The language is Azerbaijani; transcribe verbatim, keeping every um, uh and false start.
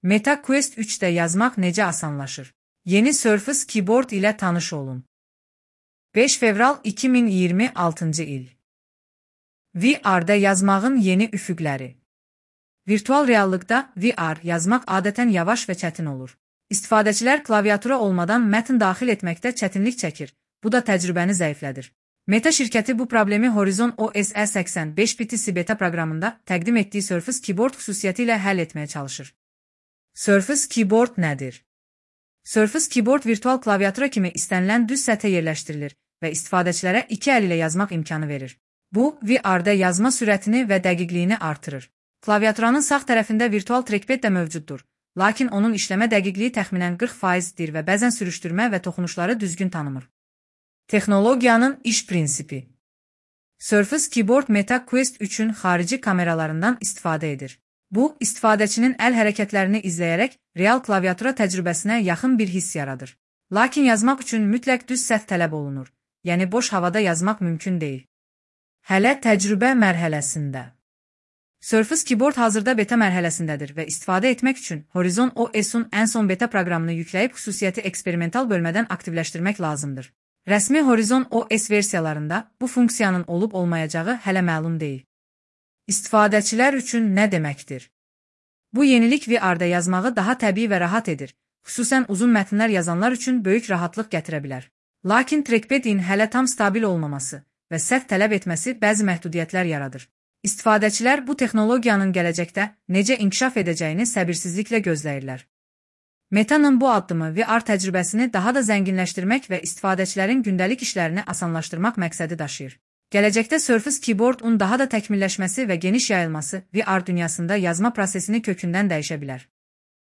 Meta Quest üçdə yazmaq necə asanlaşır? Yeni Surface Keyboard ilə tanış olun. beş fevral iki min iyirmi altıncı il. V R-da yazmağın yeni üfüqləri. Virtual reallıqda V R yazmaq adətən yavaş və çətin olur. İstifadəçilər klaviatura olmadan mətn daxil etməkdə çətinlik çəkir, bu da təcrübəni zəiflədir. Meta şirkəti bu problemi Horizon O S E səksən beş bit beta proqramında təqdim etdiyi Surface Keyboard xüsusiyyəti ilə həll etməyə çalışır. Surface Keyboard nədir? Surface Keyboard virtual klaviatura kimi istənilən düz səthə yerləşdirilir və istifadəçilərə iki əl ilə yazmaq imkanı verir. Bu, V R-da yazma sürətini və dəqiqliyini artırır. Klaviaturanın sağ tərəfində virtual trackpad də mövcuddur, lakin onun işləmə dəqiqliyi təxminən qırx faizdir və bəzən sürüşdürmə və toxunuşları düzgün tanımır. Texnologiyanın iş prinsipi. Surface Keyboard Meta Quest üçün xarici kameralarından istifadə edir. Bu, istifadəçinin əl hərəkətlərini izləyərək real klaviatura təcrübəsinə yaxın bir hiss yaradır. Lakin yazmaq üçün mütləq düz səth tələb olunur, yəni boş havada yazmaq mümkün deyil. Hələ təcrübə mərhələsində. Surface Keyboard hazırda beta mərhələsindədir və istifadə etmək üçün Horizon O S-un ən son beta proqramını yükləyib xüsusiyyəti eksperimental bölmədən aktivləşdirmək lazımdır. Rəsmi Horizon O S versiyalarında bu funksiyanın olub-olmayacağı hələ məlum deyil. İstifadəçilər üçün nə deməkdir? Bu yenilik V R-da yazmağı daha təbii və rahat edir, xüsusən uzun mətnlər yazanlar üçün böyük rahatlıq gətirə bilər. Lakin trackpad'in hələ tam stabil olmaması və səth tələb etməsi bəzi məhdudiyyətlər yaradır. İstifadəçilər bu texnologiyanın gələcəkdə necə inkişaf edəcəyini səbirsizliklə gözləyirlər. Meta'nın bu addımı V R təcrübəsini daha da zənginləşdirmək və istifadəçilərin gündəlik işlərini asanlaşdırmaq məqsədi daşıyır. Gələcəkdə Surface Keyboard-un daha da təkmilləşməsi və geniş yayılması V R dünyasında yazma prosesini kökündən dəyişə bilər.